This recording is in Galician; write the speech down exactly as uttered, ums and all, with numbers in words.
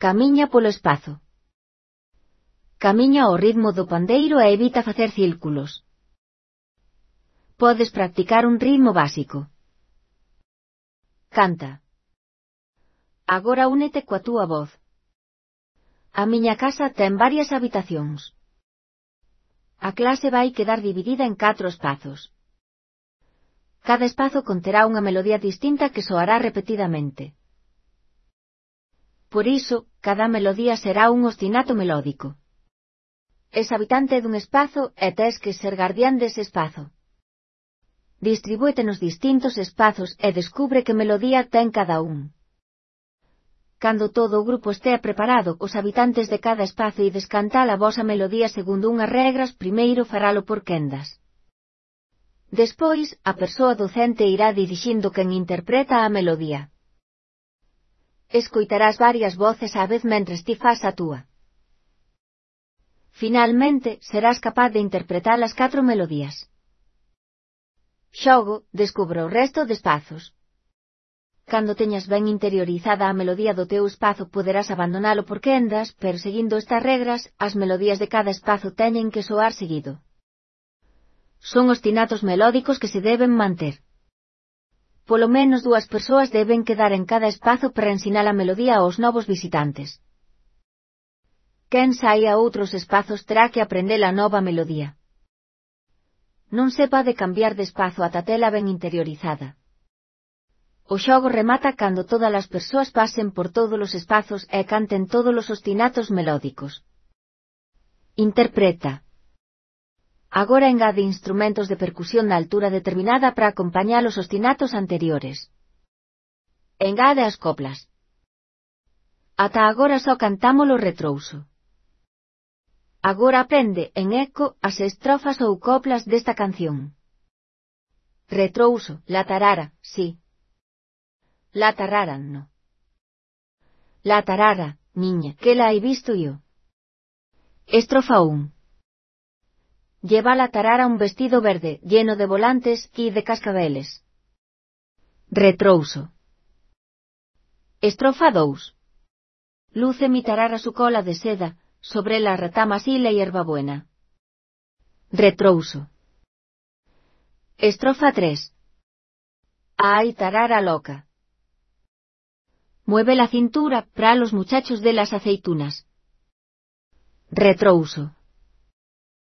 Camiña polo espazo. Camiña ao ritmo do pandeiro e evita facer círculos. Podes practicar un ritmo básico. Canta. Agora únete coa túa voz. A miña casa ten varias habitacións. A clase vai quedar dividida en catro espazos. Cada espazo conterá unha melodía distinta que soará repetidamente. Por iso, cada melodía será un ostinato melódico. Es habitante dun espazo e tes que ser guardián dese espazo. Distribúete nos distintos espazos e descubre que melodía ten cada un. Cando todo o grupo estea preparado, os habitantes de cada espazo ides cantar a vosa melodía segundo unhas regras, primeiro faralo por quendas. Despois, a persoa docente irá dirixindo quen interpreta a melodía. Escoitarás varias voces á vez mentres ti fas a túa. Finalmente, serás capaz de interpretar as catro melodías. Xogo, descubra o resto de espazos. Cando teñas ben interiorizada a melodía do teu espazo poderás abandonalo por quendas, pero seguindo estas regras, as melodías de cada espazo teñen que soar seguido. Son ostinatos melódicos que se deben manter. Polo menos dúas persoas deben quedar en cada espazo para ensinar a melodía aos novos visitantes. Quen sai a outros espazos terá que aprender a nova melodía. Non se pode cambiar de espazo ata tela ben interiorizada. O xogo remata cando todas as persoas pasen por todos os espazos e canten todos os ostinatos melódicos. Interpreta. Agora engade instrumentos de percusión na altura determinada para acompañar os ostinatos anteriores. Engade as coplas. Ata agora só cantámolo retrouso. Agora aprende, en eco, as estrofas ou coplas desta canción. Retrouso, la tarara, sí. La tarara, no. La tarara, niña, que la he visto yo. Estrofa un. Lleva la tarara un vestido verde, lleno de volantes y de cascabeles. Retrouso. Estrofa dos. Luce mi tarara su cola de seda, sobre las retamas y la hierbabuena. Retrouso. Estrofa tres. Ay, tarara loca. Mueve la cintura para los muchachos de las aceitunas. Retrouso.